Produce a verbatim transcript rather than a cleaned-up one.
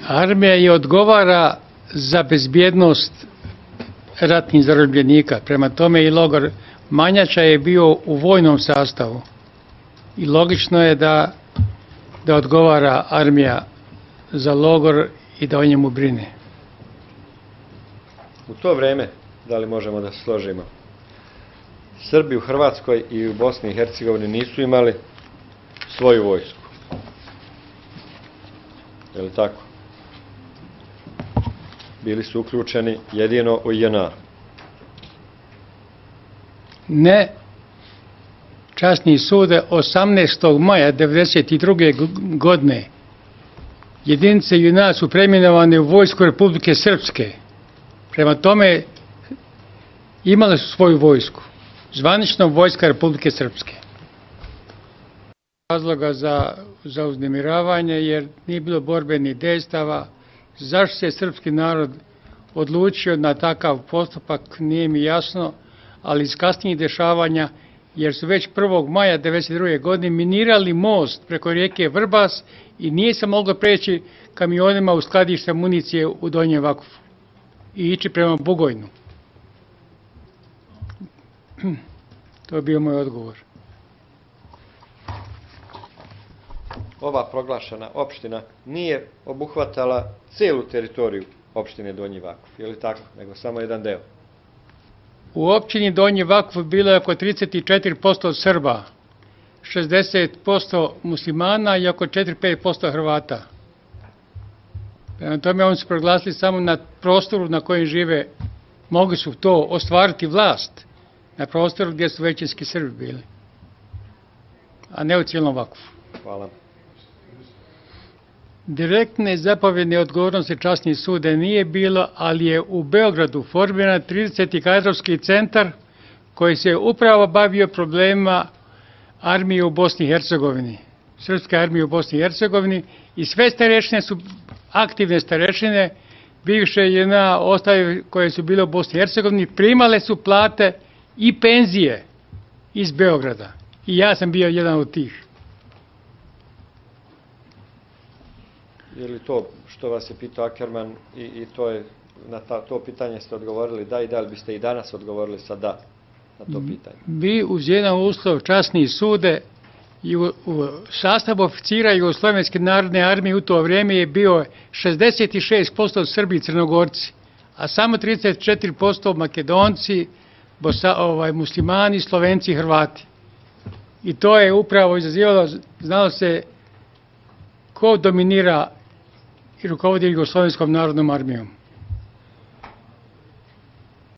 Armija je odgovara za bezbjednost ratnih zarobljenika. Prema tome i logor Manjača je bio u vojnom sastavu. I logično je da, da odgovara armija za logor i da o njemu brine. U to vreme, da li možemo da se složimo, Srbi u Hrvatskoj i u Bosni i Hercegovini nisu imali svoju vojsku. Je li tako? Bili su uključeni jedino u J N A. Ne. Časni sude osamnaestog maja devedeset druge godine jedinice J N A su preimenovane u vojsku Republike Srpske. Prema tome imale su svoju vojsku. Zvanično vojska Republike Srpske. Razloga za, za uznemiravanje jer nije bilo borbenih dejstava. Zašto se srpski narod odlučio na takav postupak nije mi jasno, ali iz kasnijih dešavanja, jer su već prvog maja devedeset druge godine minirali most preko rijeke Vrbas i nije se moglo preći kamionima u skladište municije u Donjem Vakufu i ići prema Bugojnu. To je bio moj odgovor. Ova proglašena opština nije obuhvatala celu teritoriju opštine Donji Vakuf, je li tako? Nego samo jedan deo. U općini Donji Vakuf bilo je oko trideset četiri posto Srba, šezdeset posto muslimana i oko četiri do pet posto Hrvata. Prema tome oni su proglasili samo na prostoru na kojem žive, mogli su to ostvariti vlast, na prostoru gdje su većinski Srbi bili, a ne u cijelom Vakufu. Hvala. Direktne zapovjedne odgovornosti časnih suda nije bilo, ali je u Beogradu formiran trideseti kadrovski centar koji se upravo bavio problemima armije u Bosni i Hercegovini, srpske armije u Bosni i Hercegovini, i sve starešine su aktivne starešine, bivše J N A ostale koje su bile u Bosni i Hercegovini, primale su plate i penzije iz Beograda. I ja sam bio jedan od tih. Je li to što vas je pitao Akerman i, i to je, na ta, to pitanje ste odgovorili da, i da li biste i danas odgovorili sa da na to pitanje? Vi uz jedan uslov časni sude i u, u sastavu oficira Jugoslovenske narodne armije u to vrijeme je bio šezdeset šest posto Srbi i Crnogorci, a samo trideset četiri posto Makedonci, Bosa, ovaj, muslimani, Slovenci i Hrvati. I to je upravo izazivalo, znalo se ko dominira i rukovodi Jugoslovenskom narodnom armijom.